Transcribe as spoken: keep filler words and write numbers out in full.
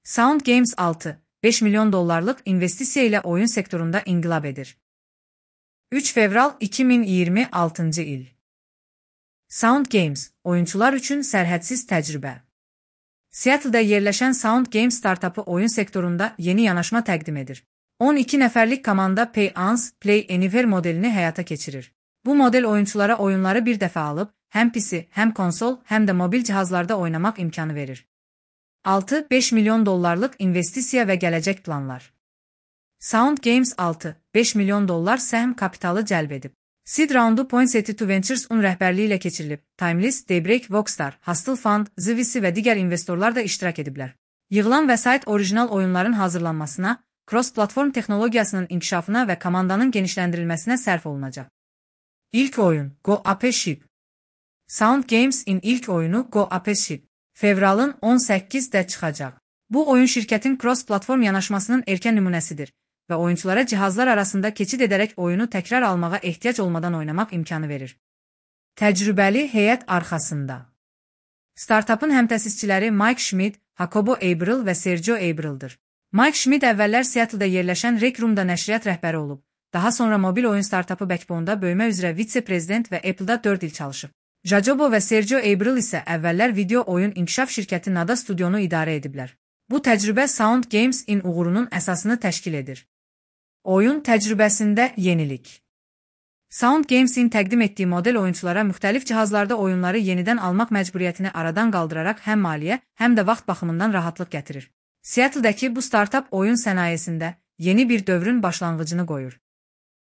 Sound Games altı, beş milyon dollarlık investisiya ilə oyun sektorunda inqilab edir. üç fevral iki min iyirmi altıncı il. Sound Games, oyunçular üçün sərhədsiz təcrübə. Seattle'da yerləşən Sound Games startapı oyun sektorunda yeni yanaşma təqdim edir. on iki nəfərlik komanda Pay Once, Play Anywhere modelini həyata keçirir. Bu model oyunçulara oyunları bir dəfə alıb, həm P C, həm konsol, həm də mobil cihazlarda oynamaq imkanı verir. altı beş milyon dollarlıq investisiya və gələcək planlar. Sound Games altı beş milyon dollar səhm kapitalı cəlb edib. Seed raundu Poinsettia Ventures-un rəhbərliyi ilə keçirilib. Timeless, Daybreak, Voxstar, Hustle Fund, Zivisi və digər investorlar da iştirak ediblər. Yığılan vəsait orijinal oyunların hazırlanmasına, cross-platform texnologiyasının inkişafına və komandanın genişləndirilməsinə sərf olunacaq. İlk oyun, Go Ape Ship. Sound Games-in ilk oyunu Go Ape Ship, fevralın on səkkizində çıxacaq. Bu oyun şirkətin cross-platform yanaşmasının erkən nümunəsidir və oyunçulara cihazlar arasında keçid edərək oyunu təkrar almağa ehtiyac olmadan oynamaq imkanı verir. Təcrübəli heyət arxasında. Startupın həmtəsisçiləri Mike Schmidt, Jacobo Abril və Sergio Abril'dir. Mike Schmidt əvvəllər Seattle'da yerləşən Rec Room'da nəşriyyat rəhbəri olub. Daha sonra mobil oyun startupı Backbone'da böyümə üzrə vitse-prezident və Apple'da dörd il çalışıb. Jacobo və Sergio Abril isə əvvəllər video oyun inkişaf şirkəti Nada Studionu idarə ediblər. Bu təcrübə Sound Games-in uğurunun əsasını təşkil edir. Oyun təcrübəsində yenilik. Sound Games-in təqdim etdiyi model oyunçulara müxtəlif cihazlarda oyunları yenidən almaq məcburiyyətini aradan qaldıraraq həm maliyyə, həm də vaxt baxımından rahatlıq gətirir. Seattle'dakı bu startup oyun sənayesində yeni bir dövrün başlanğıcını qoyur.